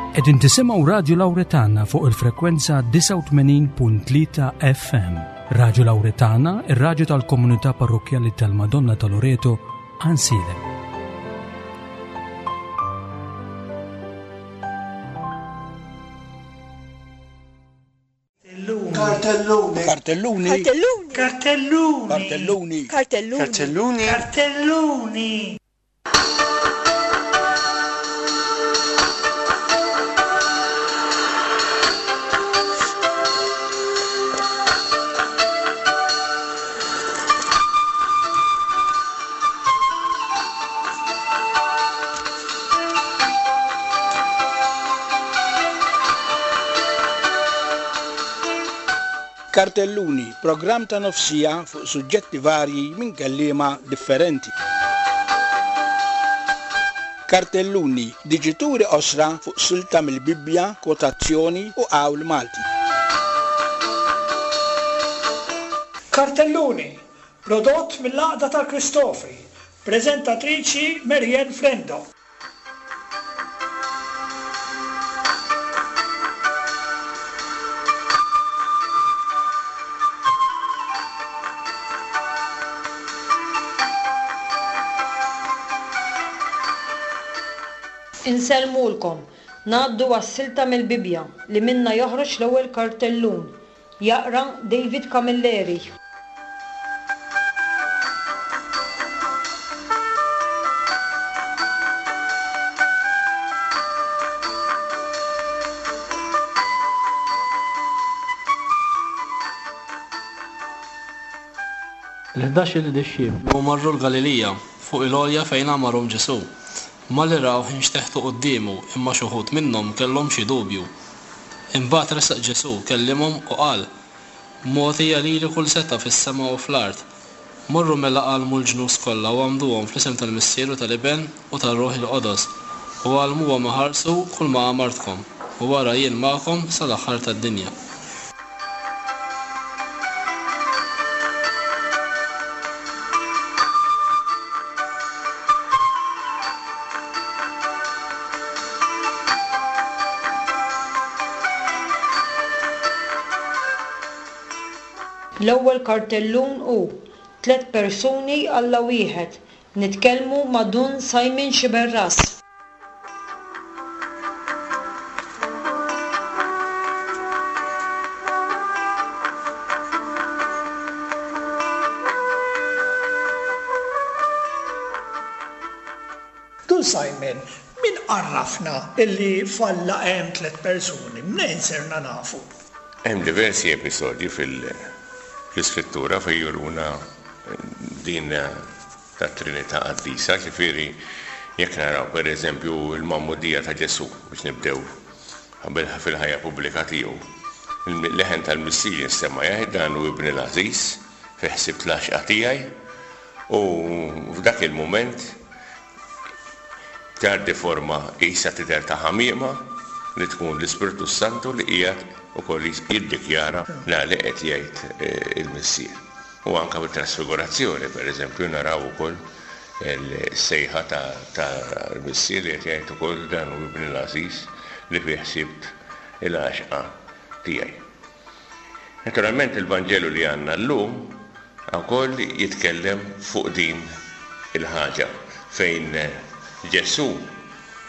Qegħdin tisimgħu Radju Lawretana fuq il-frekwenza 89.3 FM. Radju Lawretana, ir-radju tal-komunità parrokkjali tal-Madonna ta' Loreto, Ansilem. Kartelluni. Kartelluni. Kartelluni. Kartelluni. Kartelluni. Kartelluni. Kartelluni. Kartelluni, programm ta' nofsija fuq suġġetti varji minn kelliema differenti. Kartelluni, diġituri qosra fuq silta mill-Bibbja, kwotazzjoni u qawl Malti. Kartelluni, prodott mill-Għaqda tal-Kristofri, preżentatriċi Marianne Frendo. Insellmulkom. Ngħaddu għas-silta mill-Bibbja li minnha joħroġ l-ewwel kartellun. Jaqra David Camilleri. Il-ħdax-il dixxiplu marru l-Galilija, fuq il-għolja fejn għamarhom Ġesù. Malli rawh inxteħtu quddiemu, imma x'uħud minnhom kellhom xi dubju. Imbagħad resaq Ġesù, kellimhom u qal, Mogħtija lili kull setgħa fis-sema u fl-art. Morru mela għallmu l-ġnus kollha u għammduhom fl-isem tal-Missier u tal-Iben u tar-Ruħ il-Qodos, u għallmuhom iħarsu kulma amartkom, u ara jien magħkom sa l-aħħar tad-dinja. L-ewwel kartellun hu, Tliet persuni Alla wieħed. Nitkellmu ma' Dun Simon Sciberras. Dun Simon, min għarrafna illi f'Alla hemm tlett persuni? Mnejn sirna nafu? Hemm diversi episodji fil-Iskrittura fejn juruna din tat-Trinità Qaddisa, ġifieri jekk naraw pereżempju l-magħmudija ta' Ġesù biex nibdew qabel fil-ħajja pubblika tiegħu, il-leħen tal-Missier jinstema' jgħid dan hu Ibni l-għażiż, fih ħsibt l-għaxqa tiegħi u f'dak il-mument tgħaddi forma qisha tidher ta' ħamiema li tkun l-Ispirtu s-Santu li qiegħed ukoll jiddikjara dak li qed jgħid il-Missier. U anke fit-Trasfigurazzjoni, pereżempju, naraw ukoll is-sejħa tal-Missier li qed jgħid ukoll dan hu Ibni l-għażiż li fih sibt il-għaxqa tiegħi. Naturalment il-Vanġelu li għandna llum ukoll jitkellem fuq din il-ħaġa fejn Ġesù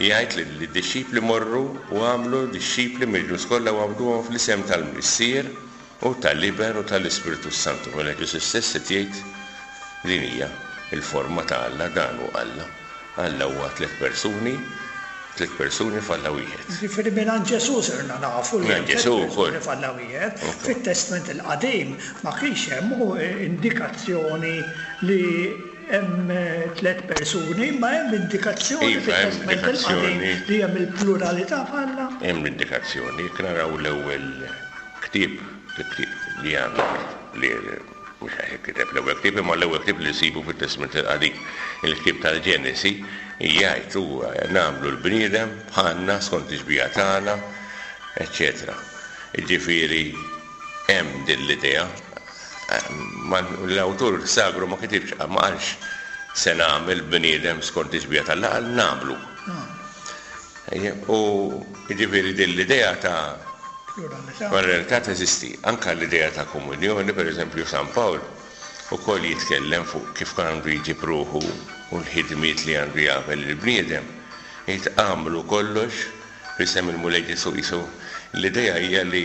jgħid lid-dixxipli morru u agħmlu dixxipli mill-ġnus kollha u għammduhom fl-isem tal-Missier u tal-Iben u tal-Ispirtu s-Santu. Mela Ġesù stess qed jgħid din hija l-forma ta' Alla, dan hu Alla. Alla huwa tliet persuni, tliet persuni f'Alla wieħed. Jiġifieri mingħand Ġesù sirna nafu li hemm tliet persuni f'Alla wieħed. Fit-Testment il-Qadim ma kienx hemm indikazzjoni li hemm tliet persuni, imma hemm indikazzjoni fit-Testment il-Qadim li hemm il-pluralità f'Alla. Hemm l-indikazzjoni, jekk naraw l-ewwel Ktieb, il-ktieb li għandna li mhux għax inkiteb l-ewwel ktieb imma l-ewwel ktieb li nsibu fit-Testment il-Qadim, il-ktieb tal-Ġenesi, jgħid huwa nagħmlu l-bniedem bħalna skont ix-xbieha tagħna, eċċetera. Jiġifieri hemm din l-idea. L-awtur sagru ma kitibx, ma qalx se nagħmel bniedem skont ix-xbieha t'Alla, qal nagħmlu. U jiġifieri din l-idea ta' pluralità teżisti. Anke l-idea ta' komunjoni, pereżempju San Pawl ukoll jitkellem fuq kif għandu jġib ruħu u l-ħidmiet li għandu jagħmel il-bniedem. Jgħid agħmlu kollox f'isem il-Mulej Ġesù. Qisu l-idea hija li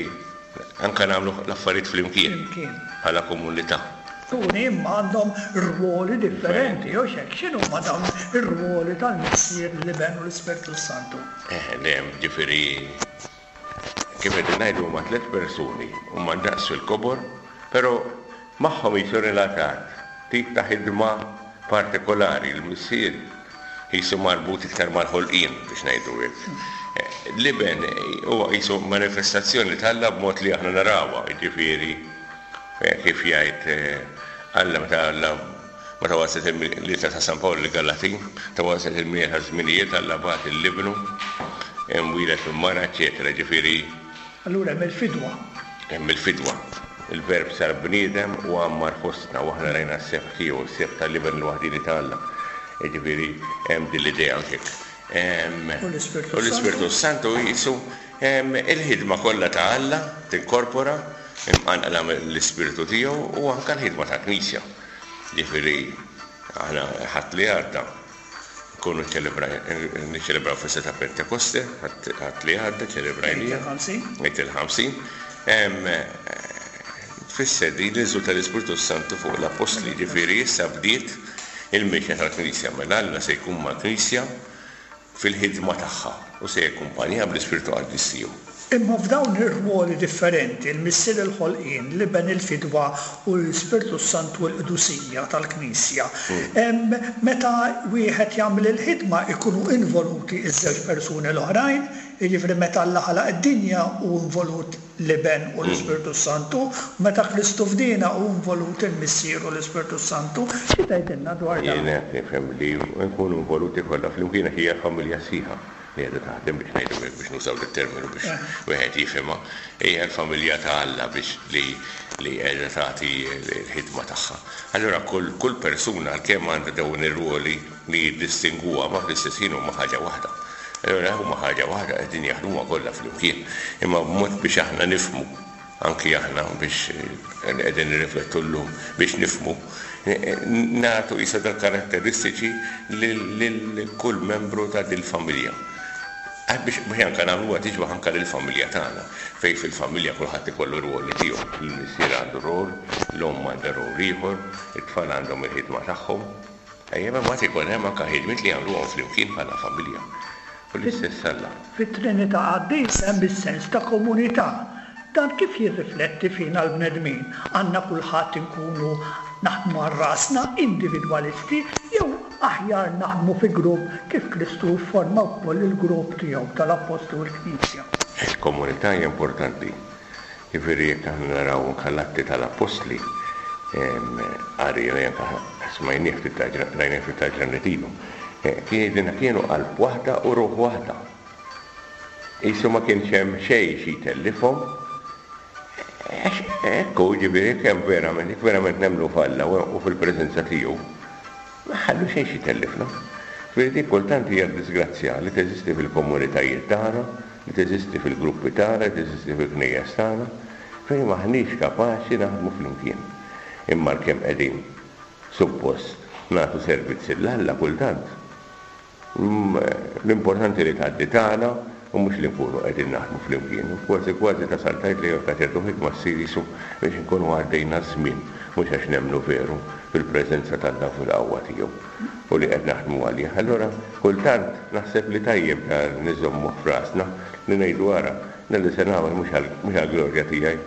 anke nagħmlu l-affarijiet flimkien bħala komunità. Persuni imma għandhom rwoli differenti, hux hekk? X'inhuma dawn ir-rwoli tal-Missier, l-Iben u l-Ispirtu s-Santu? Eh, le, ġifieri kif qegħdin ngħidu huma tlett persuni, huma ndaqs fil-kobor, però magħhom qisu relatat tip ta' ħidma partikolari, il-Missier qisu marbut iktar mal-ħolqien, biex ngħidu hekk. L-Iben huwa qisu manifestazzjoni t'Alla b'mod li aħna narawha, jiġifieri kif jgħid Alla meta Alla meta waslet l-ittra ta' San Pawl lill-Galatin, meta waslet il-milja taż-żminijiet Alla bagħat lil Ibnu, imwieled minn mara, eċċetera Jiġifieri Allura hemm il-fidwa. Hemm il-fidwa. Il-Verb sar bniedem u għammar fostna u aħna rajna s-sebħ tiegħu, is-sebħ tal-Iben il-waħdieni ta' Alla. Jiġifieri hemm din l-idea hawnhekk. U l-Ispirtu U l-Ispirtu s-Santu qisu il-ħidma kollha ta' Alla tinkorpora, imqanqla mill-Ispirtu tiegħu u anke l-ħidma tal-Knisja. Jiġifieri aħna Ħadd li għadda, Nkunu niċċelebraw festa ta' Pentekoste, Ħadd li għadda ċċelebrajniha. Għid il-50. Tfisser din l-inżul tal-Ispirtu s-Santu fuq l-Appostli, jiġifieri issa bdiet il-mixja tal-Knisja, mela Alla se jkun mal-Knisja fil-ħidma tagħha u se jakkumpanjaha bl-Ispirtu Qaddis tiegħu. Imma f'dawn ir-rwoli differenti, il-Missier il-ħolqien, l-Iben il-fidwa u l-Ispirtu s-Santu l-qdusija tal-Knisja, meta wieħed jagħmel il-ħidma jkunu involuti ż-żewġ persuni l-oħrajn, jiġifieri meta Alla ħalaq id-dinja hu involut l-Iben u l-Ispirtu s-Santu, u meta Kristu fdiena hu involut il-Missier u l-Ispirtu s-Santu. Xi tgħidilna dwar dan? Jien hekk nifhem li nkunu involuti kollha flimkien għax hija familja sħiħa. li qiegħda taħdem biex ngħidu hekk biex nużaw dit-terminu biex wieħed jifhimha, hija l-familja ta' Alla biex li li qiegħda tagħti l-ħidma tagħha. Allura kull kull persuna għalkemm għandha dawn ir-rwoli li jiddistingwuha ma fl-istess ħin huma ħaġa waħda. Allura huma ħaġa waħda qegħdin jaħdmuha kollha flimkien. Imma b'mod biex aħna nifhmu anki aħna biex li qegħdin nirriflettu llum biex nifhmu, nagħtu qisha dal-karatteristiċi lil kull membru ta' dil-familja. Biex anke nagħmluha tixbah anke lill-familja tagħna, fejn fil-familja kulħadd ikollu r-rwoli tiegħu. Il-missier għandu rwol, l-omm għandha rwol ieħor, it-tfal għandhom il-ħidma tagħhom. Ejja, imma mbagħad ikun hemm anke ħidmiet li jagħmluhom flimkien bħala familja. U l-istess Alla. Fit-Trinità Qaddisa hemm is-sens ta' komunità. Dan kif jirrifletti fina l-bnedmin? Għandna kulħadd inkunu naħdmu għal rasna, individwalisti, jew aħjar naħdmu fi grupp kif Kristu fforma wkoll il-grupp tiegħu tal-Appostli u l-Knisja? Il-komunità hija importanti. Jiġifieri jekk aħna naraw anke l-Atti tal-Appostli, qari li anke smajnieh ftit ta' rajnieh ftit ta' ġranet ilu, kien jgħidilna kienu qalb waħda u ruħ waħda. Qisu ma kienx hemm xejn xi jtellifhom, għax hekk hu, jiġifieri jekk hemm verament, jekk verament nemmnu f'Alla u fil-preżenza tiegħu, ma nħallu xejn xi jtellifna. Jiġifieri dik kultant hija d-diżgrazzja li teżisti fil-komunitajiet tagħna, li teżisti fil-gruppi tagħna, li teżisti fil-knejjes tagħna, fejn m'aħniex kapaċi naħdmu flimkien. Imma għalkemm qegħdin suppost nagħtu servizz 'l Alla kultant, l-importanti li tgħaddi tagħna u mhux li nkunu qegħdin naħdmu flimkien. U kważi kważi tasal tgħid li anke ċertu ħidma ssir qisu biex inkunu għaddejna ż-żmien, mhux għax nemmnu veru fil-preżenza t'Alla u fil-qawwa tiegħu. u li qed naħdmu għalih. Allura kultant naħseb li tajjeb dan niżommuh f'rasna li ngħidu ara, dan li se nagħmel mhux għall-glorja tiegħi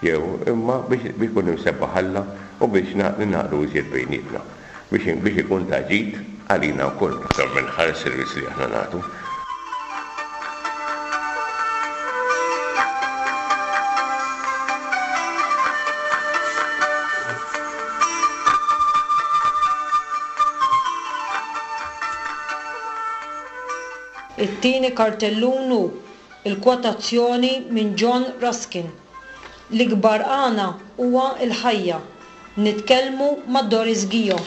jew imma biex ikun imsebbaħ Alla u biex ningħaqdu iżjed bejnietna, biex biex ikun ta' ġid għalina wkoll aktar minn ħal servizz li aħna nagħtu. It-tieni kartellun hu l-kwotazzjoni minn John Ruskin, L-ikbar għana huwa l-ħajja. Nitkellmu ma' Doris Ghio.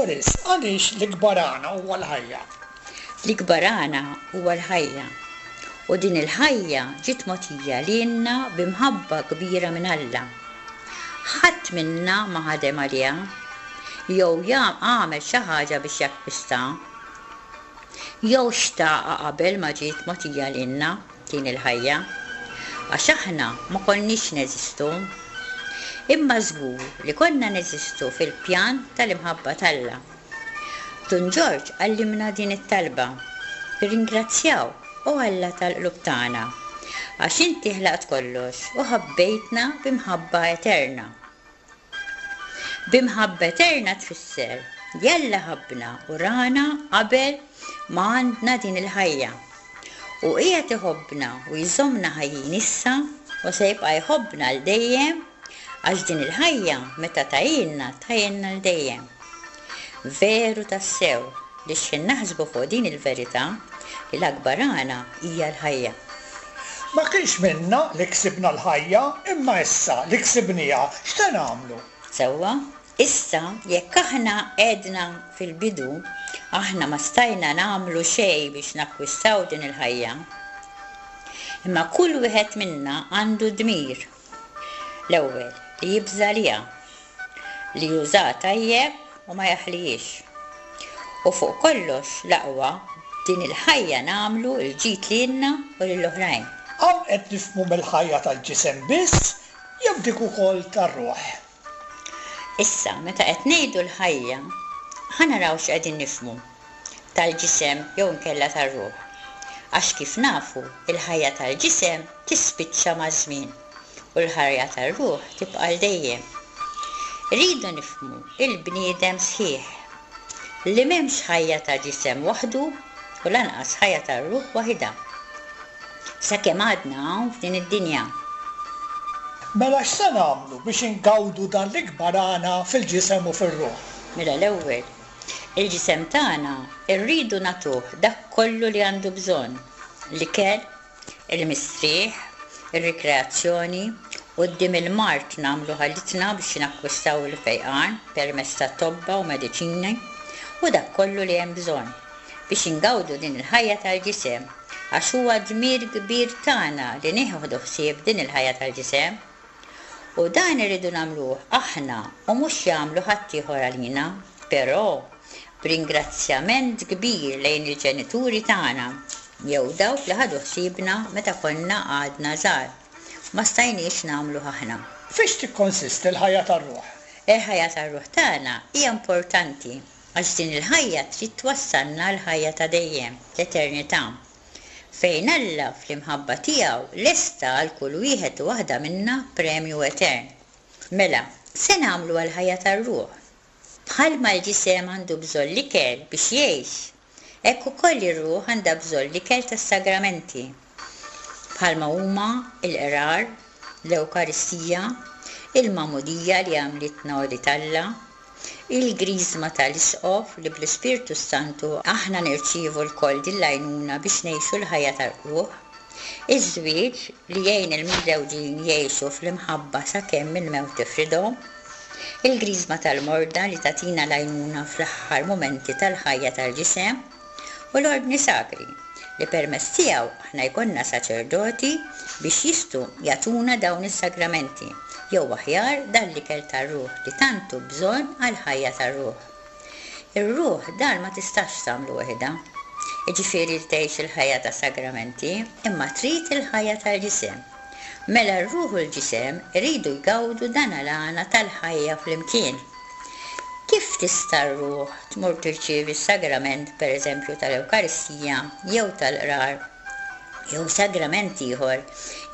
Doris, għaliex l-ikbar għana huwa l-ħajja? L-ikbar għana huwa l-ħajja. U din il-ħajja ġiet mogħtija lilna bi mħabba kbira minn Alla. Ħadd minna ma ħadem għaliha, jew għamel xi ħaġa biex jakkwistha, jew xtaqha qabel ma ġiet mogħtija lilna din il-ħajja, għax aħna ma konniex neżistu. Imma żgur li konna neżistu fil-pjan tal-imħabba t'Alla. Dun Ġorġ għallimna din it-talba, Nirringrazzjawk, O Alla tal-qlub tagħna, għax inti ħlaqt kollox u ħabbejtna bi mħabba eterna. Bi mħabba eterna tfisser li Alla ħabbna u rana qabel ma għandna din il-ħajja. U qiegħed iħobbna u jżommna ħajjin issa u se jibqa' jħobbna għal dejjem għax din il-ħajja meta tahielna tahielna għal dejjem. Veru tassew li xħin naħsbu fuq din il-verità li l-akbar għana hija l-ħajja. Ma kienx minna li ksibna l-ħajja, imma issa li ksibnieha, x'se nagħmlu? Sewwa, issa jekk aħna għedna fil-bidu, aħna ma stajna nagħmlu xejn biex nakkwistaw din il-ħajja. Imma kull wieħed minna għandu dmir. L-ewwel, li jibża' għaliha, li jużaha tajjeb u ma jaħlihiex. U fuq kollox, l-aqwa, b'din il-ħajja nagħmlu l-ġid lilna u lill-oħrajn. Hawn qed nifhmu mill-ħajja tal-ġisem biss jew dik ukoll tar-ruħ? Issa, meta qed ngħidu l-ħajja, ħa naraw x'qegħdin nifhmu, tal-ġisem jew inkella tar-ruħ. Għax kif nafu, il-ħajja tal-ġisem tispiċċa maż-żmien u l-ħajja tar-ruħ tibqa' għal dejjem. Irridu nifhmu il-bniedem sħiħ, li m'hemmx ħajja ta' ġisem waħdu u lanqas ħajja tar-ruħ waħidha. Sakemm għadna hawn f'din id-dinja. Mela x'se nagħmlu biex ingawdu dan l-ikbar għana fil-ġisem u fir-ruħ? Mela l-ewwel, il-ġisem tagħna rridu nagħtuh dak kollu li għandu bżonn, l-ikel, il-mistrieħ, ir-rikreazzjoni, quddiem il-mard nagħmlu ħalitna biex nakkwistaw il-fejqan permezz ta' tobba u mediċini u dak kollu li hemm bżonn biex ingawdu din il-ħajja tal-ġisem għax huwa dmir kbir tagħna li nieħdu ħsieb din il-ħajja tal-ġisem. U dan irridu nagħmluh aħna u mhux jagħmlu ħaddieħor għalina, però b'ringrazzjament kbir lejn il-ġenituri tagħna jew dawk li ħadu ħsiebna meta konna għadna żgħar u ma stajniex nagħmluh aħna. Fiex tikkonsisti l-ħajja tar-ruħ? Il-ħajja tar-ruħ tagħna hija importanti Għax din il-ħajja trid twassalna għall-ħajja ta' dejjem, l-eternità, fejn Alla fl-imħabba tiegħu lesta għal kull wieħed u waħda minna premju etern. Mela, se nagħmlu għall-ħajja tar-ruħ? Bħalma l-ġisem għandu bżonn l-ikel biex jgħix, hekk ukoll ir-ruħ għandha bżonn l-ikel tas-sagramenti, bħalma huma l-qrar, l-Ewkaristija, il-Magħmudija li għamlitna ulied Alla, Il-Griżma ta' l-Isqof li bl-Ispirtu s-Santu aħna nirċievu lkoll din l-għajnuna biex ngħixu l-ħajja tal-qlugħ. Iż-żwieġ li jgħin il-miżżewġin jgħixu fl-imħabba sakemm il-mewt tifridhom. Il-Griżma tal-morda li tagħtina l-għajnuna fl-aħħar mumenti tal-ħajja tal-ġisem. U l-Ordni Sagri, li permezz tiegħu aħna jkollna saċerdoti biex jistgħu jagħtuna dawn is-sagramenti, jew aħjar dan l-ikel tar-ruħ li tant hu bżonn għall-ħajja tar-ruħ. Ir-ruħ dan ma tistax tagħmlu waħidha, jiġifieri li tgħix il-ħajja ta' sagramenti, imma trid il-ħajja tal-ġisem. Mela r-ruħ u l-ġisem iridu jgawdu dan l-għana tal-ħajja flimkien. Kif tista' r-ruħ tmur tirċievi s-sagrament per eżempju tal-Ewkaristija jew tal-Qrar jew sagrament ieħor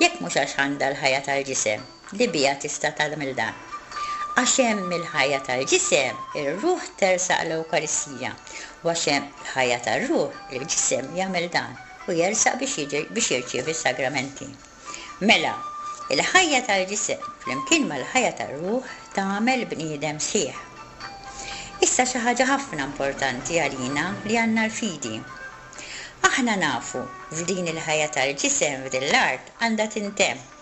jekk mhux għax għandha l-ħajja tal-ġisem li biha tista' tagħmel dan? Għax hemm il-ħajja tal-ġisem, ir-ruħ tersaq l-Ewkaristija, u għax hemm il-ħajja tar-ruħ, il-ġisem jagħmel dan u jersaq biex biex jirċievi s-sagramenti. Mela, il-ħajja tal-ġisem flimkien mal-ħajja tar-ruħ tagħmel bniedem sħiħ. Issa xi ħaġa ħafna importanti għalina li għandna l-fidi. Aħna nafu f'din il-ħajja tal-ġisem f'din l-art għandha tintemm.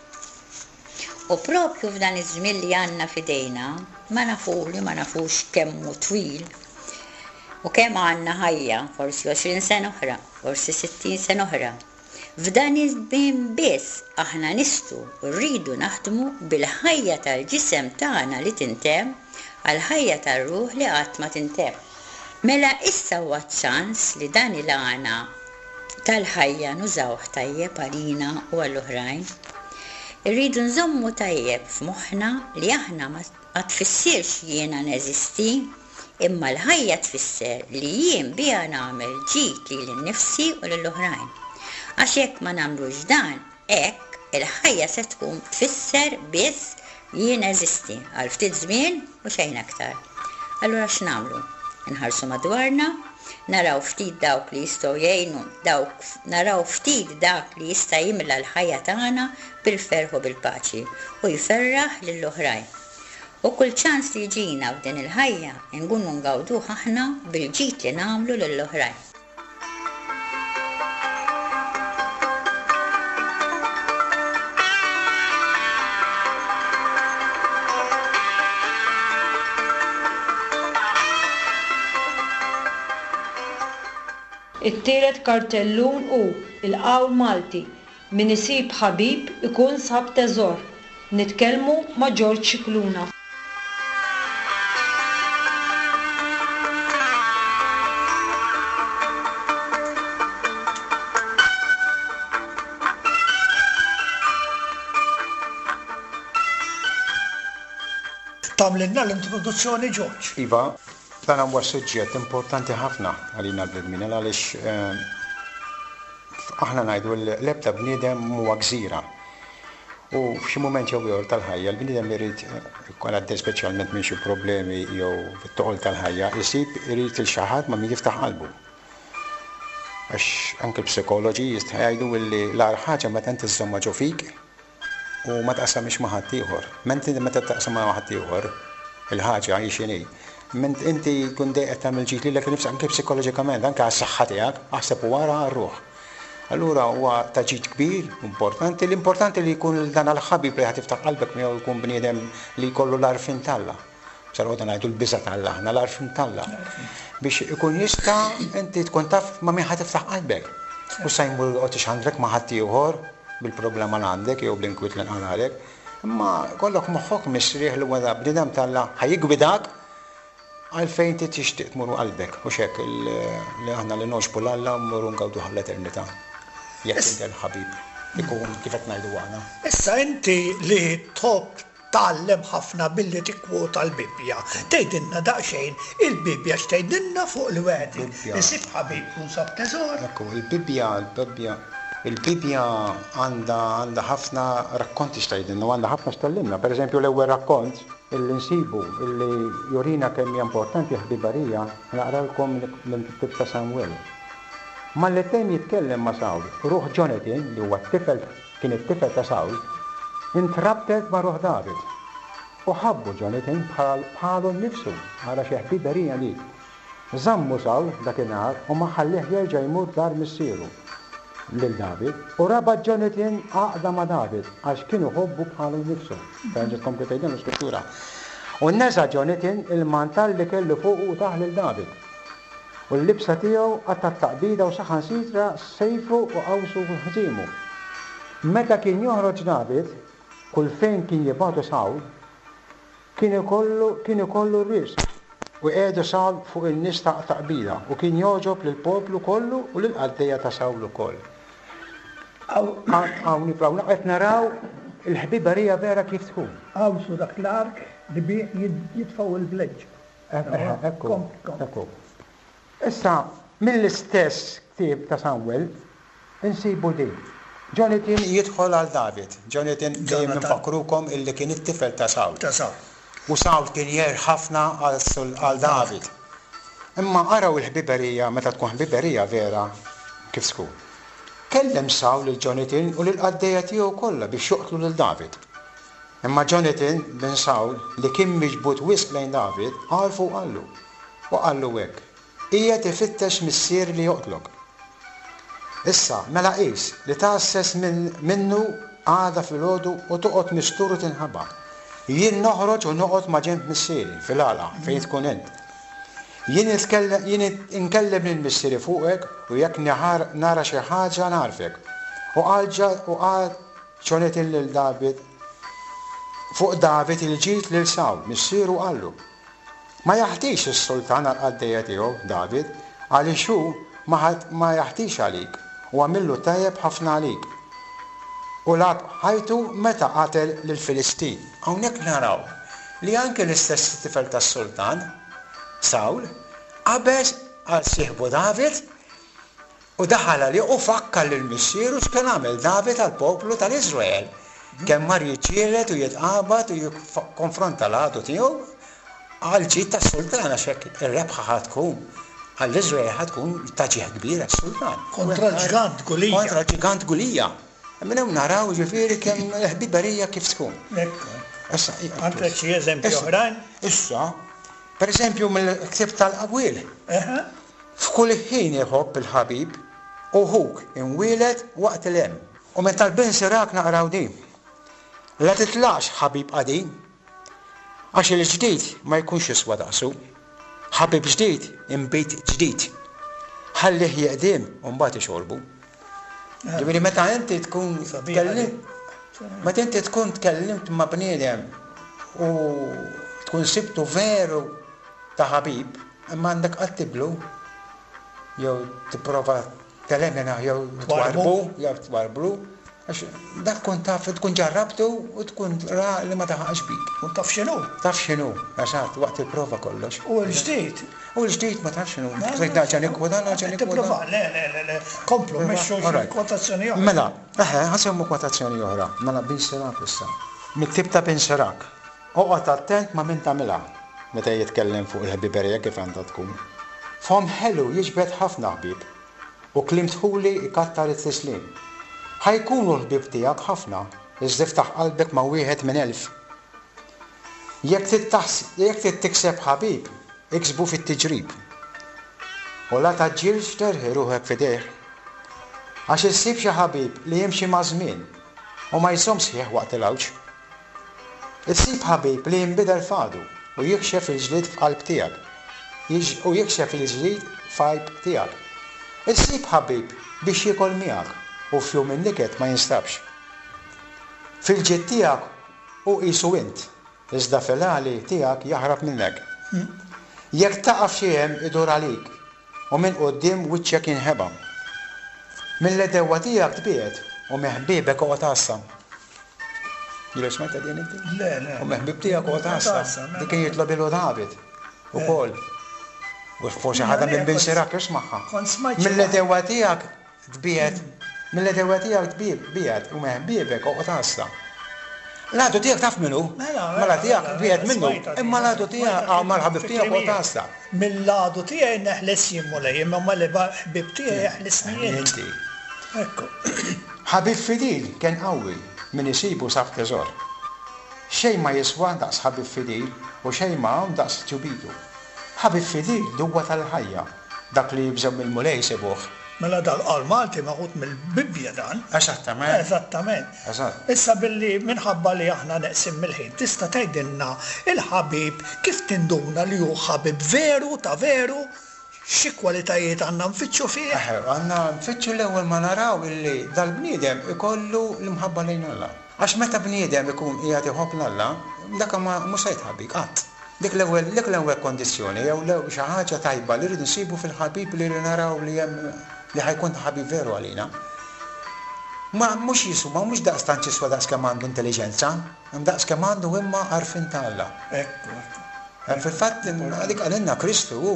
U propju f'dan iż-żmien li għandna f'idejna, ma nafu li ma nafux kemm hu twil. U kemm għandna ħajja, forsi 20 sena oħra, forsi 60 sena oħra. F'dan iż-żmien biss aħna nistgħu u rridu naħdmu bil-ħajja tal-ġisem tagħna li tintemm għall-ħajja tar-ruħ li qatt ma tintemm. Mela issa huwa ċ-ċans li dan il-għana tal-ħajja nużawh tajjeb għalina u għall-oħrajn. Irridu nżommu tajjeb f'moħħna li aħna ma tfissirx jiena neżisti, imma l-ħajja tfisser li jien biha nagħmel ġid lili nnifsi u lill-oħrajn. Għax jekk ma nagħmlux dan, Hekk, il-ħajja se tkun tfisser biss jien neżisti għal ftit żmien u xejn aktar. Allura x'nagħmlu? Inħarsu madwarna, naraw ftit dawk li jistgħu jgħinu, dawk naraw ftit dak li jista' jimla l-ħajja tagħna bil-ferħ u bil-paċi u jferraħ lill-oħrajn. U kull ċans li jiġina f'din il-ħajja nkunu ngawduh aħna bil-ġid li nagħmlu lill-oħrajn. It-tielet kartellun hu l-qawl Malti, Min isib ħabib ikun sab teżor. Nitkellmu ma' George Scicluna. Tagħmlilna l-introduzzjoni George. Iva, dan huwa suġġett importanti ħafna għalina l-bnedmin għaliex aħna ngħidu l-ebda bniedem m'huwa gżira. U f'xi mument jew ieħor tal-ħajja l-bniedem irid, ikun għaddej speċjalment minn xi problemi jew fit-toqol tal-ħajja, isib irid lil xi ħadd ma' min jiftaħ qalbu. Għax anke l-psikoloġi jgħidu li l-agħar ħaġa meta inti żżommha ġo fik u ma taqsamhiex ma' ħaddieħor. Mentri meta taqsamha ma' ħaddieħor, il-ħaġa hi x'inhi, ment inti tkun dejjem qed tagħmel ġid lilek innifsek anke psikoloġikament, anke għas-saħħa tiegħek, aħseb u ara għar-ruħ. Allura huwa ta' ġid kbir, importanti, l-importanti li jkun dan għall-ħabib li ħa tiftaħ qalbek miegħu jkun bniedem li jkollu l-għarfien t'Alla. Sa noqogħdu ngħidu l-biża' t'Alla aħna, l-għarfien t'Alla. Biex ikun jista' inti tkun taf ma' min ħa tiftaħ qalbek. U sa jmur joqgħod ixandrek ma' ħaddieħor bil-problema li għandek jew bl-inkwiet li nqalgħalek. Imma jkollok moħħok mistrieħ li huwa bniedem t'Alla ħa jiggwidak Għalfejn inti tixtieq tmur qalbek, hux hekk, li aħna li nogħġbu 'l Alla mmorru ngawduh għall-eternità, jekk inti l-ħabib ikun kif qed ngħidu aħna. Issa inti li tħobb tgħallem ħafna billi tikkwota l-Bibbja, tgħidilna daqsxejn il-Bibbja x'tgħidilna fuq li wieħed isib ħabib ikun sab teżor? Ekku, il-Bibbja, il-Bibbja, il-Bibbja għandha għandha ħafna rakkonti x'tgħidilna u għandha ħafna x'tgħallimna. Pereżempju l-ewwel rakkont Illi nsibu illi jurina kemm hija importanti l-ħbiberija, naqralkom mill-ktieb ta' Samwel. Malli temm jitkellem ma' Sawl, ruħ Ġonatan, li huwa t-tifel kien it-tifel ta' Sawl, intrabtet ma' ruħ David. U ħabbu Ġonatan bħal bħalu nnifsu. Ara xi ħbiberija dik! Żammu Sawl dakinhar u ma ħallieh jerġa' jmur dar missieru, lil David, u rabat Ġonatan għaqda ma' David, għax kien iħobbu bħalu nnifsu. Terġa' tkompli tgħidilna l-Iskrittura. U neża' Ġonatan il-mantal li kellu fuqu u tah lil David. U l-libsa tiegħu qatta' t-taqbida u saħansitra sejfu u qawsu u ħżiemu. Meta kien joħroġ David, kull fejn kien jibagħtu Sawl, Kien ikollu kien ikollu r-riżq, u jqiegħdu Sawl fuq in-nies ta' ta' qbila, u kien jogħġob lill-poplu kollu u lill-qaddejja ta' Sawl ukoll. Hawn hawn qed naraw il-ħbiberija vera kif tkun. Hawn su dak l-ark li bih jitfgħu l-vleġġa. Ekku, ekku. Issa, mill-istess ktieb ta' Samwel, insibu din. Ġonatan jidħol għal David. Ġonatan, dejjem infakkrukom illi kien it-tifel ta' Sawl. Ta' Sawl. U Sawl kien jgħir ħafna għal David. Imma araw il-ħbiberija, meta tkun ħbiberija vera, kif tkun. Kellem Sawl lil Ġonatan u lill-qaddejja tiegħu kollha biex joqtlu lil David. Imma Ġonatan, bin Sawl, li kien miġbud wisq lejn David, għarfu u qallu, U qallu hekk, Qiegħed ifittex missieri li joqtlok. Issa, mela qis li tgħasses minnu għada filgħodu u toqgħod mistur u tinħaba. Jien noħroġ u noqgħod maġenb missieri, fil-għalqa, fejn tkun int. Jien jien inkellem lil missieri fuqek u jekk nara xi ħaġa ngħarrfek. U qal u qal Ġonatan lil David fuq David il-ġid lil Sawl, missieru, qallu, Ma jaħtix is-sultan għall-qaddejja tiegħu, David, għaliex hu ma ma jaħtix għalik, u għamillu tajjeb ħafna għalik. U lagħab ħajtu meta qatel lill-Filistin. Hawnhekk naraw li anki l-istess tifel tas-sultan, Sawl, qabeż għal sieħbu David U daħal għalih u fakkar lil missieru x'kien għamel David għall-poplu tal-Iżrael, kemm mar jiġġieled u jitqabad u jikkonfronta l-għadu tiegħu għall-ġid tas-sultan, għax hekk ir-rebħa ħa tkun għall-Iżrael ħa tkun ta' ġieħ kbir għas-sultan. Kontra l-ġgant Gulija. Kontra l-ġgant Gulija. Minn hawn naraw jiġifieri kemm il-ħbiberija kif tkun. Ekku. Issa, Għandek xi eżempji oħrajn? Issa, pereżempju mill-ktieb tal-Qawwiel. F'kull ħin iħobb il-ħabib, u ħuk imwieled waqt il-hemm. U minn tal-Bin Sirak naqraw din, La titlaqx ħabib qadim, għax il-ġdid ma jkunx jiswa daqsu. Ħabib ġdid inbid ġdid. Ħallih jeqdiem u mbagħad ixorbu. Ġifieri meta inti tkun tkellimt meta inti tkun tkellimt ma' bniedem u tkun sibtu veru ta' ħabib, Imma għandek qatt tiblu jew tipprova teleminah jew twarrbu, jew twarrblu, għax dak tkun taf, tkun ġarrabtu u tkun ra li ma daħaqx bik. Tkun taf x'inhu. Taf x'inhu, eżatt, waqt il-prova kollox. U l-ġdid? U l-ġdid ma tafx x'inhu. Trid nerġa' nikkwota, nerġa' nikkwota. Tipprova, le, le, le, le, komplu, mexxu xi kwotazzjoni oħra. Mela, eħe, ħa nsemmu kwotazzjoni oħra, mela Bin Sirak issa. Mill-ktieb ta' Bin Sirak. Oqgħod attent ma' min tagħmilha meta jitkellem fuq il-ħbiberija kif għandha tkun. Fomm ħelu jiġbed ħafna ħbieb, u kliem dħuli jkattar it-tislim. Ħa jkunu l-ħbieb tiegħek ħafna, iżda iftaħ qalbek ma' wieħed minn elf. Jekk trid jekk trid tikseb ħabib, iksbu fit-tiġrib. U la tgħaġġilx terħi ruħek f'idejh. Għax issib xi ħabib li jimxi maż-żmien u ma jżommx sħiħ waqt il-għawġ. Issib ħabib li jinbidel f'għadu u jikxef il-ġlied f'qalb tiegħek, u jikxef il-ġlied f'għajb tiegħek. Issib ħabib biex jiekol miegħek u f'jum in-niket ma jinstabx. Fil-ġid tiegħek hu qisu int, iżda fil-għali tiegħek jaħrab minnek. Jekk taqa' f'xi hemm idur għalik U minn quddiem wiċċek jinħeba. Mill-għedewwa tiegħek tbiegħed, u minn ħbiebek oqgħod għassa. Ġieli smajtha din inti? Le, le. U minn ħbieb tiegħek oqgħod għassa. Dik kien jitlob ilu David ukoll. U forsi ħadha minn bin Sirak ismagħha. Mill-għedewwa tiegħek Tbiegħed mill-għedewwa tiegħek tbiegħed u minn ħbiebek oqgħod għassa. L-għadu tiegħek taf min hu? Mela tiegħek tbiegħed minnu, imma l-għadu tiegħek mal-ħabib tiegħek oqgħod għassa. Mill-għadu tiegħi neħles jien Mulej, imma mill-ħbieb tiegħi eħlisni int. Ekku. Ħabib fidil kenn qawwi, min isibu sab teżor. Xejn ma jiswa daqs ħabib fidil u xejn ma hawn daqs tjubitu. Ħabib fidil duwa tal-ħajja. Dak li jibżgħu mill-Mulej isibuh. Mela dal-qawl Malti meħud mill-Bibbja dan. Eżattament. Eżattament. Eżatt. Issa billi minħabba li aħna neqsin mill-ħin, tista' tgħidilna il-ħabib kif tinduna li hu ħabib veru ta' veru? Xi kwalitajiet għandna nfittxu fih? Eħe, għandna nfittxu l-ewwel ma naraw illi dal-bniedem ikollu l-imħabba lejn Alla. Għax meta bniedem ikun qiegħed iħobb 'l Alla, dak ma mhux se jitħabbik qatt. Dik l-ewwel dik l-ewwel kondizzjoni jew l-ewwel xi ħaġa tajba li rridu nsibu fil-ħabib li naraw li hemm li ħa jkun ta' ħabib veru għalina. Ma mhux jiswa mhux daqstant jiswa daqs kemm għandu intelliġenza, imma daqs kemm għandu imma għarfien ta' Alla. Ekku, ekku. Fil-fatt dik qalilna Kristu hu.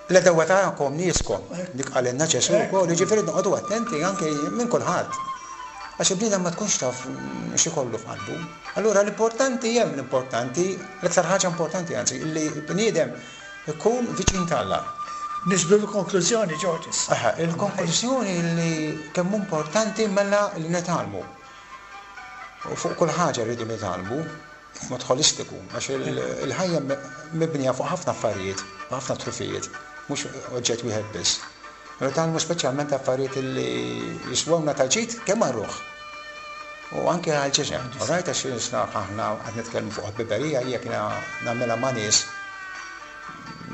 L-għedewwa tagħkom nieskom. Dik qalilna Ġesù wkoll, jiġifieri noqogħdu attenti anke minn kulħadd. Għax il-bniedem ma tkunx taf x'ikollu f'qalbu. Allura l-importanti hemm l-importanti, l-iktar ħaġa importanti anzi, li l-bniedem ikun viċin t'Alla. Niġbdu l-konklużjoni, George, issa. Eħe, il-konklużjoni li kemm hu importanti mela li nitgħallmu. U fuq kull ħaġa rridu nitgħallmu. B'mod ħolistiku, għax il-ħajja mibnija fuq ħafna affarijiet, ħafna trufijiet, mhux oġġett wieħed biss. Nitgħallmu speċjalment affarijiet li jiswewna ta' ġid kemm għar-ruħ u anke għall-ġisem. Rajt għax aħna qed nitkellmu fuq ħbiberija jekk nagħmilha ma' nies.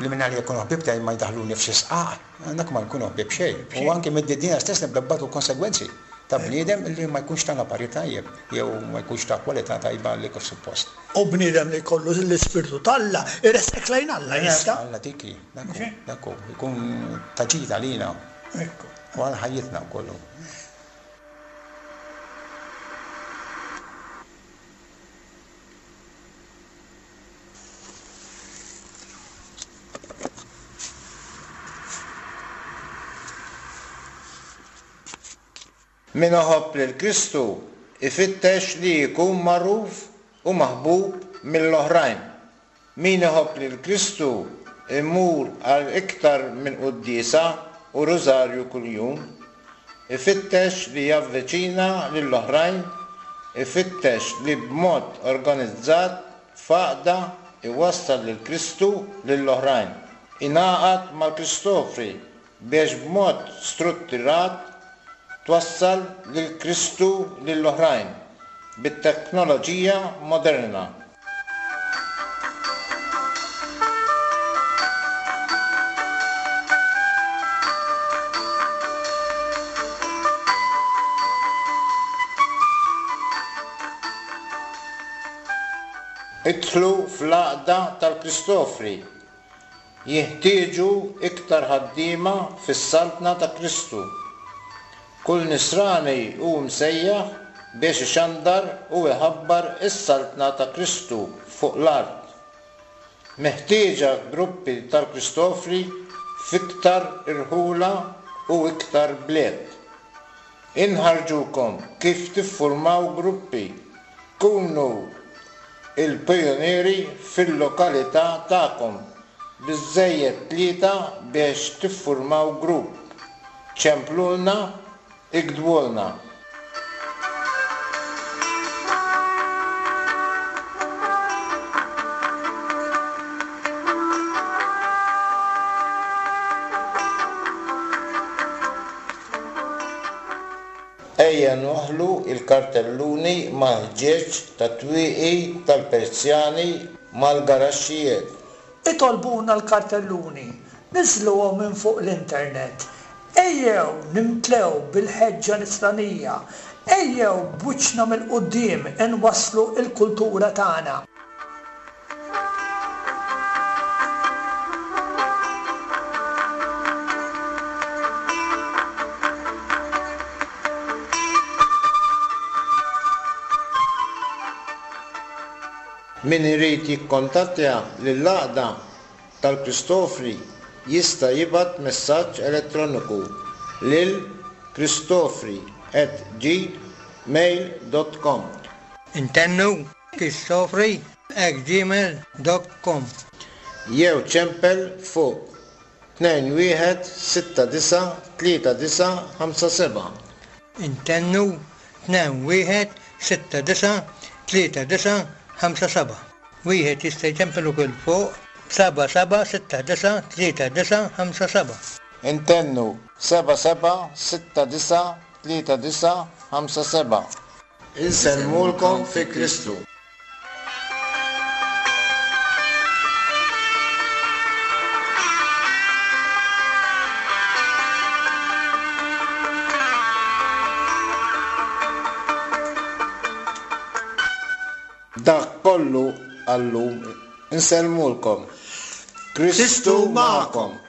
li minn għalija jkunu ħbieb tiegħi ma jdaħħluni f'xi sqaq, dak ma nkunu ħbieb xejn. U anki mid-dinja stess nibda nbatu l-konsegwenzi ta' bniedem li ma jkunx tana parir tajjeb jew ma jkunx ta' kwalità tajba li kif suppost. U bniedem li jkollu l-Ispirtu t'Alla jressqek lejn Alla jista'. Alla dik hi, dak hu, dak hu, ikun ta' ġid għalina u għal ħajjitna wkoll. Min iħobb lil Kristu jfittex li jkun magħruf u maħbub mill-oħrajn. Min iħobb lil Kristu jmur għal iktar minn quddiesa u rużarju kuljum. Ifittex li javviċina lill-oħrajn, ifittex li b'mod organizzat f'għaqda jwassal lil Kristu lill-oħrajn. Ingħaqad mal-Kristofri biex b'mod struttirat twassal lil Kristu lill-oħrajn bit-teknoloġija moderna. Idħlu fl-Għaqda tal-Kristofri. Jinħtieġu iktar ħaddiema fis-Saltna ta' Kristu. Kull Nisrani hu msejjaħ biex ixandar u jħabbar is-Saltna ta' Kristu fuq l-art. Meħtieġa gruppi tal-Kristofri f'iktar irħula u iktar bliet. Inħarrġukom kif tiffurmaw gruppi. Kunu il-pijunieri fil-lokalità tagħkom. Biżżejjed tlieta biex tiffurmaw grupp. Ċemplulna, iktbulna. Ejja nwaħħlu l-kartelluni mal-ħġieġ tat-twieqi tal-persjani mal-garaxxijiet. Itolbuna l-kartelluni, niżżluhom minn fuq l-internet. Ejjew nimtlew bil-ħeġġa nisranija. Ejjew b'wiċċna mill-quddiem inwasslu l-kultura tagħna. Min irid jikkontattja lill-Għaqda tal-Kristofri jista' jibgħat messaġġ elettroniku lil kristofri at gmail dot com. Intennu Kristofri at gmail dot com. Jew ċempel fuq 2169 3957. Intennu 2169 3957. Wieħed jista' jċempel ukoll fuq 7769 3957. Intennu 7769 3957. Insellmulkom fi Kristu. Dak kollu għal-lum. Insellmulkom. Kristu magħkom.